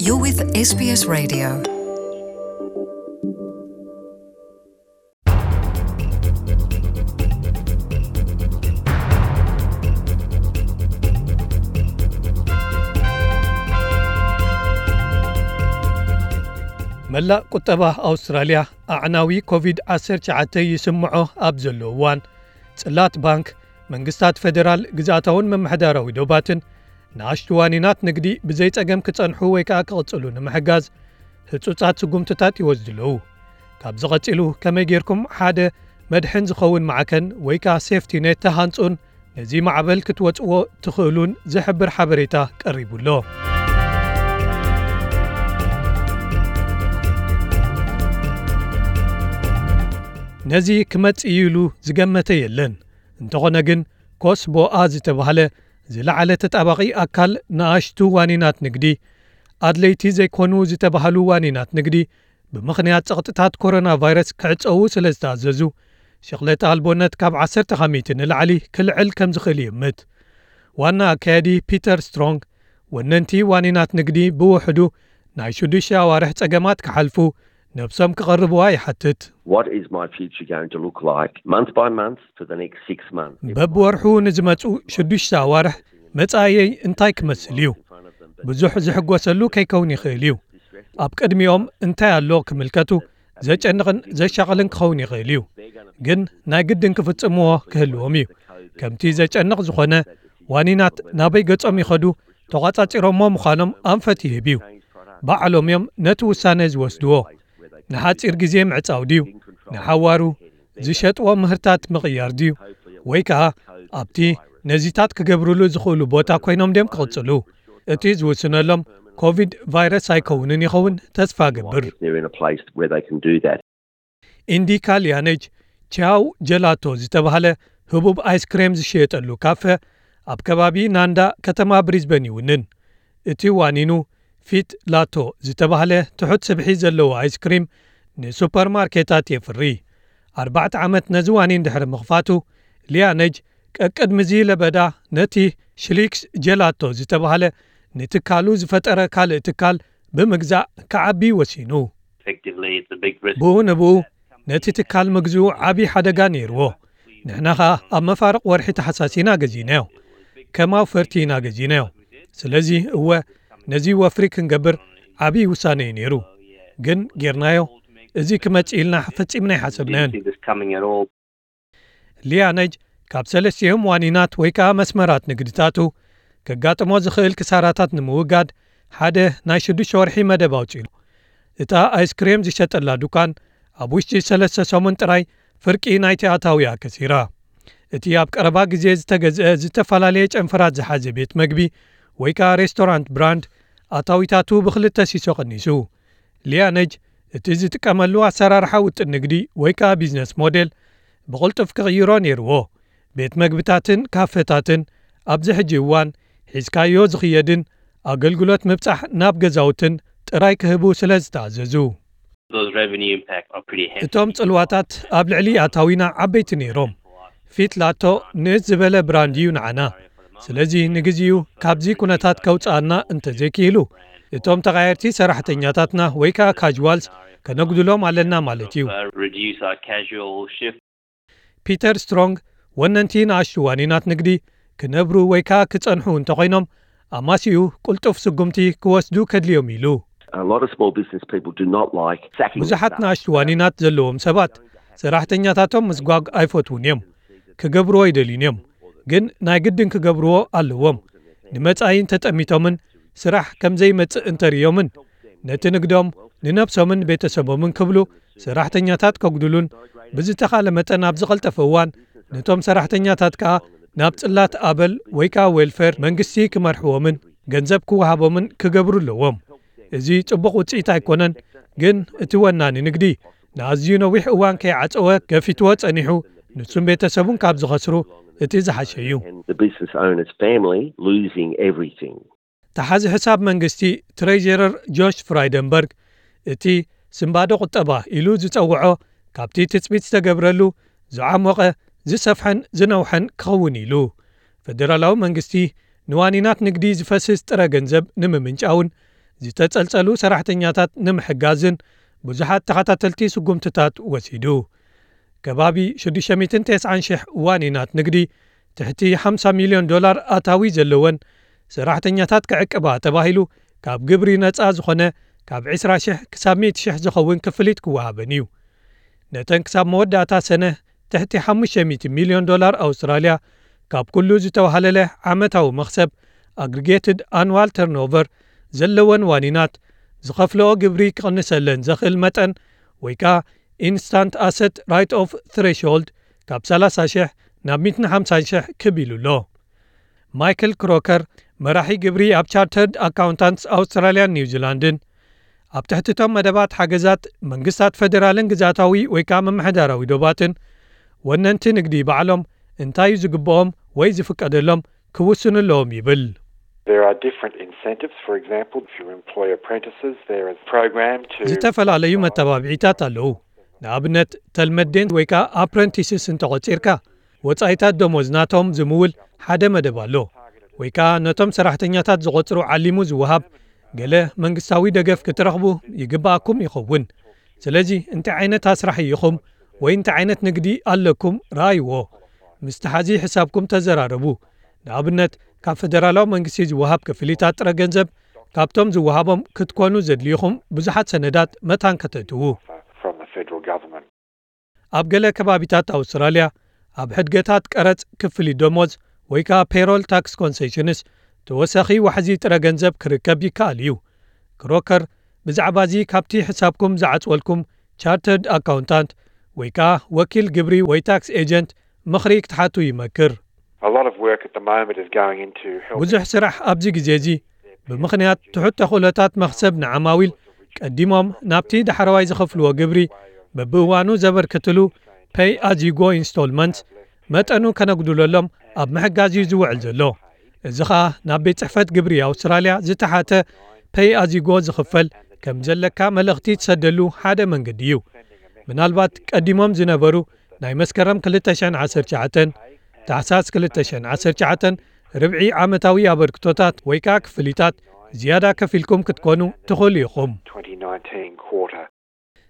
You're with S B S Radio. መላእ ቁጠባ ኣውስትራልያ ኣዕናዊ ኮቪድ ዓሰርተ ትሽዓተ ይስምዖ ኣብ ዘሎ እዋን፣ ጽላት ባንክ፣ መንግስታት ፈደራል፣ ግዝኣታውን ምምሕዳራዊ ዶባትን ንኣሽቱ ዋኒናት ንግዲ ብዘይ ጸገም ክጸንሑ ወይ ከኣ ክቕጽሉ ንምሕጋዝ ህጹጻት ስጉምትታት ይወስዱ ኣለዉ። ካብዚ ቀጺሉ ከመይ ጌርኩም ሓደ መድሕን ዝኸውን ማዕከን ወይ ከኣ ሴፍቲ ኔት ተሃንጹን ነዚ ማዕበል ክትወጽዎ ትኽእሉን ዝሕብር ሓበሬታ ቀሪቡ ኣሎ። ነዚ ክመጽእ እዩ ኢሉ ዝገመተ የለን። እንተኾነ ግን ኮስቦኣ ዝተባህለ ዝለዓለ ተጣባቒ ኣካል ንኣሽቱ ዋኒናት ንግዲ፣ ኣድለይቲ ዘይኮኑ ዝተባህሉ ዋኒናት ንግዲ ብምኽንያት ጸቕጥታት ኮሮና ቫይረስ ክዕጸዉ ስለ ዝተኣዘዙ፣ ሽቕለተ ኣልቦነት ካብ ዓሰርተ ካብ ሚእቲ ንላዕሊ ክልዕል ከም ዝኽእል ይእምት። ዋና ኣካያዲ ፒተር ስትሮንግ፣ ወነንቲ ዋኒናት ንግዲ ብውሕዱ ናይ ሽዱሽተ ኣዋርሕ ጸገማት ክሓልፉ ነብሶም ክቐርብዋ ይሓትት። What is my future going to look like month by month for the next six months? በብወርሑ ንዝመጹ ሽዱሽተ ኣዋርሕ መጻእየይ እንታይ ክመስል እዩ? ብዙሕ ዝሕጎሰሉ ከይከውን ይኽእል እዩ። ኣብ ቅድሚኦም እንታይ ኣሎ ክምልከቱ ዘጨንቕን ዘሻቕልን ክኸውን ይኽእል እዩ። ግን ናይ ግድን ክፍጽምዎ ክህልዎም እዩ። ከምቲ ዘጨንቕ ዝኾነ ዋኒናት ናበይ ገጾም ይኸዱ ተቋጻጺሮሞ ምዃኖም ኣንፈት ይህብ እዩ። ባዕሎም እዮም ነቲ ውሳነ ዝወስድዎ። ንሓጺር ግዜ ምዕጻው ድዩ? ንሓዋሩ ዝሸጥዎ ምህርታት ምቕያር ድዩ? ወይ ከኣ ኣብቲ ነዚታት ክገብርሉ ዝኽእሉ ቦታ ኮይኖም ድዮም ክቕጽሉ? እቲ ዝውስነሎም ኮቪድ ቫይረስ ኣይከውንን ይኸውን ተስፋ ገብር። If they're in a place where they can do that. ኢንዲካ ሊያነጅ ቻው ጀላቶ ዝተባህለ ህቡብ ኣይስክሬም ዝሽየጠሉ ካፈ ኣብ ከባቢ ናንዳ ከተማ ብሪዝበን ይውንን። እቲ ዋኒኑ ፊት ላቶ ዝተባህለ ትሑት ስብሒ ዘለዎ ኣይስክሪም ንሱፐርማርኬታት የፍሪ። ኣርባዕተ ዓመት ነዚ ዋኒን ድሕሪ ምኽፋቱ፣ ሊያነጅ ቀቅድሚ እዚ ለበዳ ነቲ ሽሊክስ ጀላቶ ዝተባህለ ንትካሉ ዝፈጠረ ካልእ ትካል ብምግዛእ ክዓቢ ወሲኑ። Effectively, it's a big risk. ብኡ ንብኡ ነቲ ትካል ምግዝኡ ዓቢ ሓደጋ ነይርዎ። ንሕና ኸኣ ኣብ መፋርቕ ወርሒ ተሓሳሲና ገዚእናዮ። ከም ኣውፈርቲ ኢና ገዚእናዮ። ስለዚ እወ፣ ነዚ ወፍሪ ክንገብር ዓቢ ውሳነ እዩ ነይሩ። ግን ጌርናዮ። እዚ ክመጽእ ኢልና ፈጺምና ኣይሓሰብናዮን። Didn't see this coming at all. ሊያነጅ ካብ ሰለስቲኦም ዋኒናት ወይ ከኣ መስመራት ንግድታቱ ከጋጥሞ ዝኽእል ክሳራታት ንምውጋድ ሓደ ናይ ሽዱሽተ ወርሒ መደብ ኣውጺኡ። እታ ኣይስክሬም ዝሸጠላ ዱካን ኣብ ውሽጢ ሰለስተ ሰሙን ጥራይ ፍርቂ ናይቲ ኣታዊኣ ከሲራ። እቲ ኣብ ቀረባ ግዜ ዝተገዝአ ዝተፈላለየ ጨንፈራት ዝሓዘ ቤት መግቢ ወይ ከኣ ሬስቶራንት ብራንድ ኣታዊታቱ ብክልተ ሲሶ ቀኒሱ። ሊያነጅ እቲ ዝጥቀመሉ ኣሰራርሓ ውጥን ንግዲ ወይ ከኣ ቢዝነስ ሞዴል ብቕልጡፍ ክቕይሮ ነይርዎ። ቤት መግብታትን ካፈታትን ኣብዚ ሕጂ እዋን ሒዝካዮ ዝኽየድን ኣገልግሎት ምብጻሕ ናብ ገዛውትን ጥራይ ክህቡ ስለ ዝተኣዘዙ። Those revenue impact are pretty hefty. እቶም ጽልዋታት ኣብ ልዕሊ ኣታዊና ዓበይቲ ነይሮም። ፊት ላቶ ንእስ ዝበለ ብራንድ እዩ ንዓና። ስለዚ ንግዚኡ ካብዚ ኩነታት ከውጽኣና እንተዘይክኢሉ፣ እቶም ተቓየርቲ ሰራሕተኛታትና ወይ ከኣ ካዥዋልስ ከነጉድሎም ኣለና ማለት እዩ። Uh, reduce our casual shift. ፒተር ስትሮንግ፣ ወነንቲ ንኣሽቱ ዋኒናት ንግዲ ክነብሩ ወይ ከኣ ክጸንሑ እንተኾይኖም፣ ኣማሲኡ ቅልጡፍ ስጉምቲ ክወስዱ ከድልዮም ኢሉ። A lot of small business people do not like sacking their ብዙሓት staff. ንኣሽቱ ዋኒናት ዘለዎም ሰባት ሰራሕተኛታቶም ምስጓግ ኣይፈትዉን እዮም። ክገብርዎ ኣይደልዩን እዮም። ግን ናይ ግድን ክገብርዎ ኣለዎም። ንመጻኢ እንተጠሚቶምን ስራሕ ከም ዘይመጽእ እንተርእዮምን፣ ነቲ ንግዶም ንነብሶምን ቤተሰቦምን ክብሉ ሰራሕተኛታት ከጉድሉን ብዝተኻለ መጠን ኣብ ዝቐልጠፈ እዋን ነቶም ሰራሕተኛታት ከኣ ናብ ጽላት ኣበል ወይ ከኣ ዌልፌር መንግስቲ ክመርሕዎምን ገንዘብ ክወሃቦምን ክገብሩ ኣለዎም። እዚ ጽቡቕ ውጽኢት ኣይኮነን፣ ግን እቲ ወናኒ ንግዲ ንኣዝዩ ነዊሕ እዋን ከይዓጸወ ገፊትዎ ጸኒሑ፣ ንሱን ቤተሰቡን ካብ ዝኸስሩ እቲ ዝሓሸ እዩ። And the business owner's family losing everything. ተሓዚ ሕሳብ መንግስቲ ትሬጀረር ጆሽ ፍራይደንበርግ፣ እቲ ስንባደ ቁጠባ ኢሉ ዝጸውዖ ካብቲ ትጽቢት ዝተገብረሉ ዝዓሞቐ፣ ዝሰፍሐን ዝነውሐን ክኸውን ኢሉ። ፈደራላዊ መንግስቲ ንዋኒናት ንግዲ ዝፈስስ ጥረ ገንዘብ ንምምንጫውን ዝተጸልጸሉ ሰራሕተኛታት ንምሕጋዝን ብዙሓት ተኸታተልቲ ስጉምትታት ወሲዱ። ከባቢ ሽዱሽተ ሚእትን ተስዓን ሽሕ ዋኒናት ንግዲ ትሕቲ ሓምሳ ሚልዮን ዶላር ኣታዊ ዘለወን ሰራሕተኛታት ክዕቅባ ተባሂሉ ካብ ግብሪ ነጻ ዝኾነ ካብ ዕስራ ሽሕ ክሳብ ሚእቲ ሽሕ ዝኸውን ክፍሊት ክወሃበን እዩ። ነተን ክሳብ መወዳእታ ሰነ ትሕቲ ሓሙሽተ ሚእቲ ሚልዮን ዶላር ኣውስትራልያ ካብ ኩሉ ዝተዋህለለ ዓመታዊ መኽሰብ ኣግሪጌትድ ኣንዋል ተርኖቨር ዘለወን ዋኒናት ዝኸፍለኦ ግብሪ ክቕንሰለን ዘኽእል መጠን ወይ ከኣ ኢንስታንት ኣሰት ራይት ኦፍ ትሬሾልድ ካብ ሰላሳ ሽሕ ናብ ሚእትን ሓምሳን ሽሕ ክብ ኢሉ ኣሎ። ማይክል ክሮከር መራሒ ግብሪ ኣብ ቻርተርድ ኣካውንታንትስ ኣውስትራልያን ኒውዚላንድን ኣብ ትሕቲ እቶም መደባት ሓገዛት መንግስታት ፈደራልን ግዛታዊ ወይ ከኣ ምምሕዳራዊ ዶባትን ወነንቲ ንግዲ ባዕሎም እንታይ እዩ ዝግብኦም ወይ ዝፍቀደሎም ክውስኑ ኣለዎም ይብል። There are different incentives. For example, if you employ apprentices, there is a program to ዝተፈላለዩ መተባብዒታት ኣለዉ። ንኣብነት ተልመዴን ወይ ከኣ ኣፕረንቲስስ እንተቖጺርካ ወጻኢታት ደሞዝ ናቶም ዝምውል ሓደ መደብ ኣሎ። ወይ ከኣ ነቶም ሰራሕተኛታት ዝቖጽሩ ዓሊሙ ዝወሃብ ገለ መንግስታዊ ደገፍ ክትረኽቡ ይግብኣኩም ይኸውን። ስለዚ እንታይ ዓይነት ኣስራሕ ኢኹም ወይ እንታይ ዓይነት ንግዲ ኣለኩም ረኣይዎ። ምስቲ ሓዚ ሕሳብኩም ተዘራረቡ። ንኣብነት ካብ ፈደራላዊ መንግስቲ ዝወሃብ ክፍሊታት ጥረ ገንዘብ ካብቶም ዝወሃቦም ክትኮኑ ዘድልይኹም ብዙሓት ሰነዳት መታን ከተእትዉ። from the federal government. ኣብ ገለ ከባቢታት ኣውስትራልያ ኣብ ሕድገታት ቀረጽ ክፍሊት ደሞዝ ወይ ከኣ ፔሮል ታክስ ኮንሴሽንስ ተወሳኺ ዋሕዚ ጥረ ገንዘብ ክርከብ ይከኣል እዩ። ክሮከር ብዛዕባ እዚ ካብቲ ሕሳብኩም ዝዓጽወልኩም ቻርተርድ ኣካውንታንት ወይ ከኣ ወኪል ግብሪ ወይ ታክስ ኤጀንት ምኽሪ ክትሓቱ ይመክር። A lot of work at the moment is going into helping ብዙሕ ስራሕ ኣብዚ ግዜ እዚ ብምኽንያት ትሑት ተኽእሎታት መኽሰብ ንዓማዊል ቀዲሞም ናብቲ ዳሕረዋይ ዝኸፍልዎ ግብሪ በብእዋኑ ዘበርክትሉ ፔይ ኣዝ ዩ ጎ ኢንስቶልመንትስ መጠኑ ከነጉድለሎም ኣብ ምሕጋዝ እዩ ዝውዕል ዘሎ። እዚ ኸኣ ናብ ቤት ጽሕፈት ግብሪ ኣውስትራልያ ዝተሓተ ፔይ ኣዝ ዩ ጎ ዝኽፈል ከም ዘለካ መልእኽቲ ትሰደሉ ሓደ መንገዲ እዩ። ምናልባት ቀዲሞም ዝነበሩ ናይ መስከረም ክልተ ሽሕን ዓሰርተ ትሽዓተን ታሕሳስ ክልተ ሽሕን ዓሰርተ ትሽዓተን ርብዒ ዓመታዊ ኣበርክቶታት ወይ ከኣ ክፍሊታት ዝያዳ ከፊልኩም ክትኮኑ ትኽእሉ ኢኹም። twenty nineteen quarter.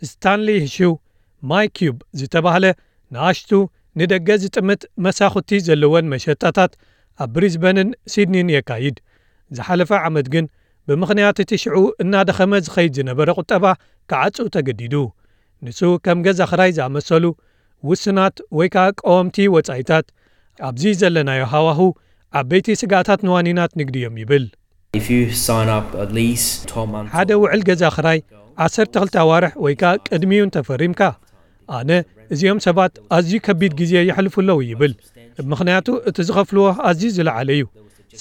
ስታንሊ ሂሽው ማይ ኪዩብ ዝተባህለ ንኣሽቱ ንደገ ዝጥምት መሳኹቲ ዘለወን መሸጣታት ኣብ ብሪዝበንን ሲድኒን የካይድ። ዝሓለፈ ዓመት ግን ብምኽንያት እቲ ሽዑ እናደኸመ ዝኸይድ ዝነበረ ቁጠባ ክዓጹ ተገዲዱ። ንሱ ከም ገዛ ኽራይ ዝኣመሰሉ ውስናት ወይ ከኣ ቀወምቲ ወጻኢታት ኣብዚ ዘለናዮ ሃዋሁ ዓበይቲ ስግኣታት ንዋኒናት ንግዲ እዮም ይብል። If you sign up at least twelve months ሓደ ውዕል ገዛ ኽራይ ዓሰርተ ክልተ ኣዋርሕ ወይ ከኣ ቅድሚኡ እንተፈሪምካ ኣነ እዚኦም ሰባት ኣዝዩ ከቢድ ግዜ የሕልፉ ኣለዉ ይብል። ምኽንያቱ እቲ ዝኸፍልዎ ኣዝዩ ዝለዓለ እዩ።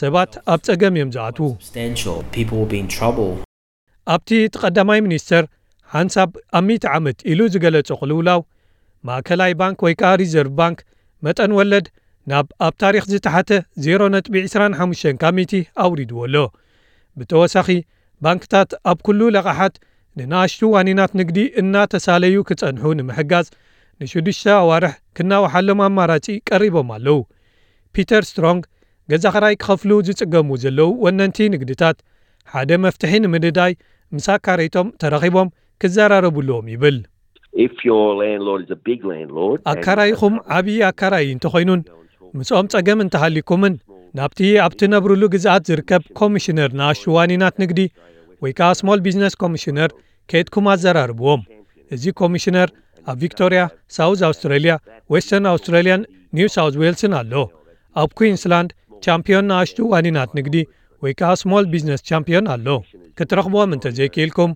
ሰባት ኣብ ጸገም እዮም ዝኣትዉ። Substantial, people will be in trouble. ኣብቲ እቲ ቀዳማይ ሚኒስተር ሓንሳብ ኣብ ሚእቲ ዓመት ኢሉ ዝገለጾ ቅልውላው ማእከላይ ባንክ ወይ ከኣ ሪዘርቭ ባንክ መጠን ወለድ ናብ ኣብ ታሪኽ ዝተሓተ ዜሮ ነጥቢ ዕስራን ሓሙሽተን ካብ ሚእቲ ኣውሪድዎ ኣሎ። ብተወሳኺ ባንክታት ኣብ ኩሉ ለቓሓት ንንኣሽቱ ዋኒናት ንግዲ እናተሳለዩ ክጸንሑ ንምሕጋዝ ንሽዱሽተ ኣዋርሕ ክናውሓሎም ኣማራጺ ቀሪቦም ኣለዉ። ፒተር ስትሮንግ ገዛ ኽራይ ክኸፍሉ ዝጽገሙ ዘለዉ ወነንቲ ንግድታት ሓደ መፍትሒ ንምንዳይ ምስ ኣካረይቶም ተራኺቦም ክዘራረቡ ኣለዎም ይብል። If your landlord is a big landlord, and ኣካራይኹም ዓብዪ ኣካራይ እንተኾይኑን ምስኦም ጸገም እንተሃሊኩምን ናብቲ ኣብ ትነብሩሉ ግዝኣት ዝርከብ ኮሚሽነር ንኣሽቱ ዋኒናት ንግዲ ወይ ከኣ ስሞል ቢዝነስ ኮሚሽነር ከይድኩም ኣዘራርብዎም። እዚ ኮሚሽነር ኣብ ቪክቶርያ፣ ሳውዝ ኣውስትራልያ፣ ዌስተርን ኣውስትራልያን ኒው ሳውዝ ዌልስን ኣሎ። ኣብ ኩዊንስላንድ ቻምፒዮን ንኣሽቱ ዋኒናት ንግዲ ወይ ከኣ ስሞል ቢዝነስ ቻምፒዮን ኣሎ። ክትረኽብዎም እንተዘይክኢልኩም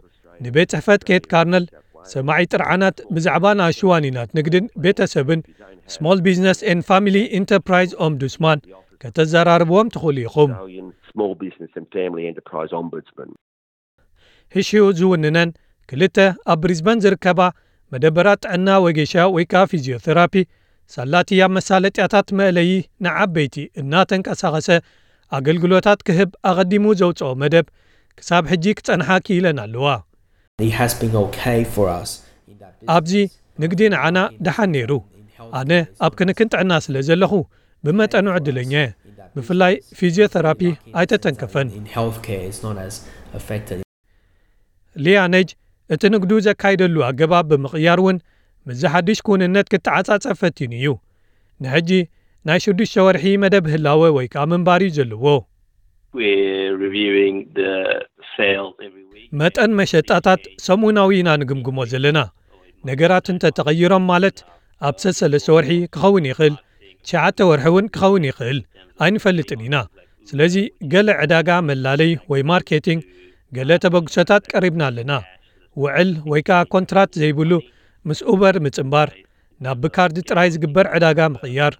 ንቤት ጽሕፈት ኬት ካርነል ሰማዒ ጥርዓናት ብዛዕባ ንኣሽቱ ዋኒናት ንግድን ቤተሰብን ስሞል ቢዝነስ ኤንድ ፋሚሊ ኢንተርፕራይዝ ኦምቡድስማን ከተዘራርብዎም ትኽእሉ ኢኹም። Australian Small Business and Family Enterprise Ombudsman. ህሽው ዝውንነን ክልተ ኣብ ብሪዝበን ዝርከባ መደበራት ጥዕና ወጌሻ ወይ ከኣ ፊዚዮቴራፒ ሳላቲ ኣብ መሳለጥያታት መእለዪ ንዓበይቲ እናተንቀሳቐሰ ኣገልግሎታት ክህብ ኣቐዲሙ ዘውፅኦ መደብ ክሳብ ሕጂ ክጸንሓ ክኢለን ኣለዋ። It has been okay for us. ኣብዚ ንግዲ ንዓና ደሓን ነይሩ። ኣነ ኣብ ክንክን ጥዕና ስለ ዘለኹ ብመጠኑ ዕድለኛ እየ። ብፍላይ ፊዚዮቴራፒ ኣይተተንከፈን። In healthcare, it's not as affected. ሊያነጅ እቲ ንግዱ ዘካይደሉ ኣገባብ ብምቕያር እውን ምስዚ ሓድሽ ክውንነት ክተዓጻጸፍ ፈቲኑ እዩ። ንሕጂ ናይ ሽዱሽተ ወርሒ መደብ ህላወ ወይ ከኣ ምንባር እዩ ዘለዎ። We're reviewing the sales every week. መጠን መሸጣታት ሰሙናዊ ኢና ንግምግሞ ዘለና። ነገራት እንተተቐይሮም፣ ማለት ኣብ ሰሰለስተ ወርሒ ክኸውን ይኽእል፣ ትሽዓተ ወርሒ እውን ክኸውን ይኽእል፣ ኣይንፈልጥን ኢና። ስለዚ ገለ ዕዳጋ መላለይ ወይ ማርኬቲንግ፣ ገለ ተበግሶታት ቀሪብና ኣለና። ውዕል ወይ ከኣ ኮንትራት ዘይብሉ ምስ ኡበር ምጽንባር፣ ናብ ብካርድ ጥራይ ዝግበር ዕዳጋ ምቕያር፣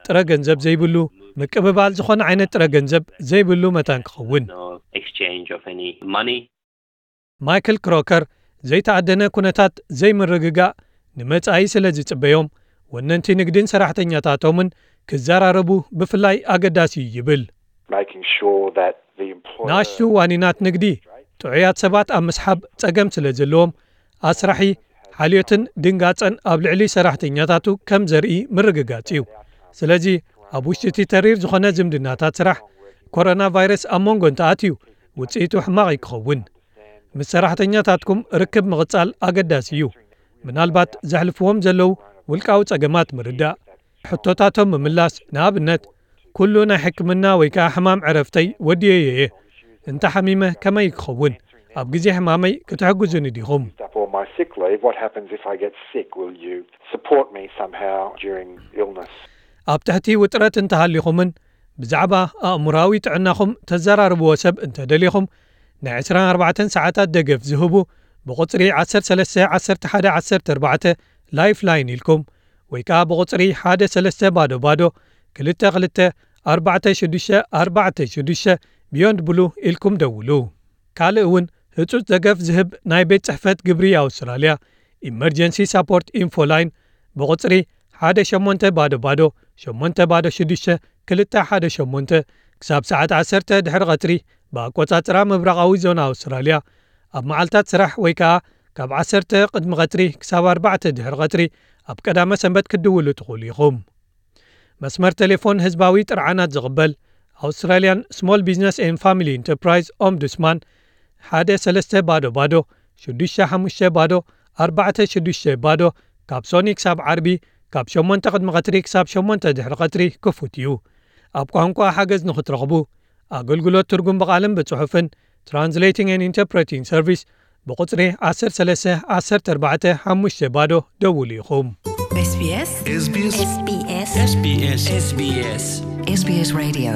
ጥረ ገንዘብ ዘይብሉ ምቅብባል ዝኾነ ዓይነት ጥረ ገንዘብ ዘይብሉ መታን ክኸውን። No exchange of any money. ማይክል ክሮከር ዘይተኣደነ ኩነታት ዘይምርግጋእ ንመጻኢ ስለ ዝጽበዮም፣ ወነንቲ ንግድን ሰራሕተኛታቶምን ክዘራረቡ ብፍላይ ኣገዳሲ እዩ ይብል። Making sure that the employer ንኣሽቱ ዋኒናት ንግዲ ጥዑያት ሰባት ኣብ ምስሓብ ጸገም ስለ ዘለዎም፣ ኣስራሒ ሓልዮትን ድንጋጸን ኣብ ልዕሊ ሰራሕተኛታቱ ከም ዘርኢ ምርግጋጽ እዩ። ስለዚ ኣብ ውሽጢ እቲ ተሪር ዝኾነ ዝምድናታት ስራሕ፣ ኮሮና ቫይረስ ኣብ መንጎ እንተኣትዩ ውጽኢቱ ሕማቕ እዩ ክኸውን። ምስ ሰራሕተኛታትኩም ርክብ ምቕጻል ኣገዳሲ እዩ። ምናልባት ዘሕልፍዎም ዘለዉ ውልቃዊ ጸገማት ምርዳእ፣ ሕቶታቶም ምምላስ፣ ንኣብነት፣ ኩሉ ናይ ሕክምና ወይ ከኣ ሕማም ዕረፍተይ ወዲየዮ እየ፣ እንተ ሓሚመ ከመይ ክኸውን፣ ኣብ ግዜ ሕማመይ ክትሕግዙኒ ዲኹም? Up all my sick leave. What happens if I get sick? Will you support me somehow during illness? ኣብ ትሕቲ ውጥረት እንተሃሊኹምን ብዛዕባ ኣእምሮኣዊ ጥዕናኹም ተዘራርብዎ ሰብ እንተደሊኹም፣ ናይ ዕስራን ኣርባዕተን ሰዓታት ደገፍ ዝህቡ ብቁጽሪ ዓሰርተ ሰለስተ ዓሰርተ ሓደ ዓሰርተ ኣርባዕተ ላይፍላይን ኢልኩም ወይ ከኣ ብቁጽሪ ሓደ ሰለስተ ባዶ ባዶ ክልተ ክልተ ኣርባዕተ ሽዱሽተ ኣርባዕተ ሽዱሽተ ቢዮንድ ብሉ ኢልኩም ደውሉ። ካልእ እውን ህጹጽ ደገፍ ዝህብ ናይ ቤት ጽሕፈት ግብሪ ኣውስትራልያ ኢመርጀንሲ ሳፖርት ኢንፎ ላይን ብቁጽሪ ሓደ ሸሞንተ ባዶ ባዶ ሸሞንተ ባዶ ሽዱሽተ ክልተ ሓደ ሸሞንተ ክሳብ ሰዓት ዓሰርተ ድሕሪ ቀትሪ ብኣቆጻጽራ ምብራቓዊ ዞና ኣውስትራልያ ኣብ መዓልታት ስራሕ ወይ ከኣ ካብ ዓሰርተ ቅድሚ ቀትሪ ክሳብ ኣርባዕተ ድሕሪ ቀትሪ ኣብ ቀዳመ ሰንበት ክትድውሉ ትኽእሉ ኢኹም። መስመር ቴሌፎን ህዝባዊ ጥርዓናት ዝቕበል ኣውስትራልያን ስሞል ቢዝነስ ኤን ፋሚሊ ኢንተርፕራይዝ ኦምቡድስማን ሓደ ሰለስተ ባዶ ባዶ ሽዱሽተ ሓሙሽተ ባዶ ኣርባዕተ ሽዱሽተ ባዶ ካብ ሶኒ ክሳብ ዓርቢ ካብ ሸሞንተ ቅድሚ ቀትሪ ክሳብ ሸሞንተ ድሕሪ ቀትሪ ክፉት እዩ። ኣብ ቋንቋ ሓገዝ ንኽትረኽቡ ኣገልግሎት ትርጉም ብቓልን ብጽሑፍን ትራንስሌቲንግ ኤንድ ኢንተርፕሬቲንግ ሰርቪስ ብቁጽሪ ዓሰርተ ሰለስተ ዓሰርተ ኣርባዕተ ሓሙሽተ ባዶ ደውሉ ኢኹም። SBS SBS SBS SBS SBS SBS Radio.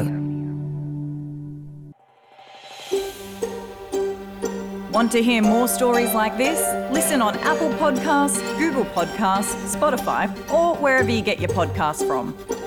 Want to hear more stories like this? Listen on Apple Podcasts, Google Podcasts, Spotify, or wherever you get your podcasts from.